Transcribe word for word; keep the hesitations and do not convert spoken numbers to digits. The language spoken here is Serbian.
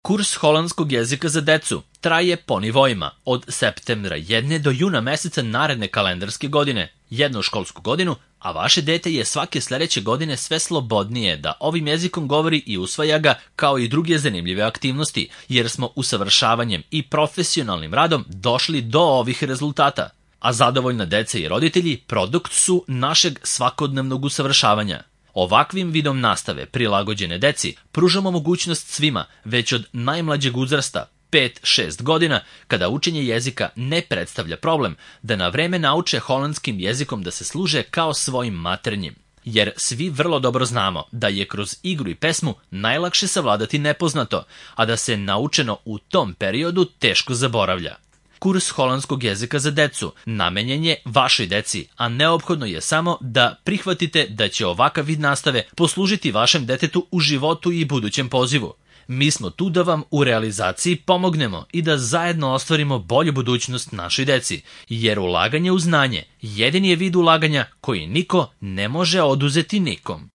Kurs holandskog jezika za decu traje po nivoima od septembra jedne do juna meseca naredne kalendarske godine, jednu školsku godinu, a vaše dete je svake sledeće godine sve slobodnije da ovim jezikom govori i usvaja ga kao i druge zanimljive aktivnosti, jer smo usavršavanjem i profesionalnim radom došli do ovih rezultata. A zadovoljna deca i roditelji produkt su našeg svakodnevnog usavršavanja. Ovakvim vidom nastave prilagođene deci pružamo mogućnost svima, već od najmlađeg uzrasta, pet do šest godina, kada učenje jezika ne predstavlja problem, da na vreme nauče holandskim jezikom da se služe kao svojim maternjim. Jer svi vrlo dobro znamo da je kroz igru i pesmu najlakše savladati nepoznato, a da se naučeno u tom periodu teško zaboravlja. Kurs holandskog jezika za decu namenjen je vašoj deci, a neophodno je samo da prihvatite da će ovakav vid nastave poslužiti vašem detetu u životu i budućem pozivu. Mi smo tu da vam u realizaciji pomognemo i da zajedno ostvarimo bolju budućnost našoj deci, jer ulaganje u znanje jedini je vid ulaganja koji niko ne može oduzeti nikom.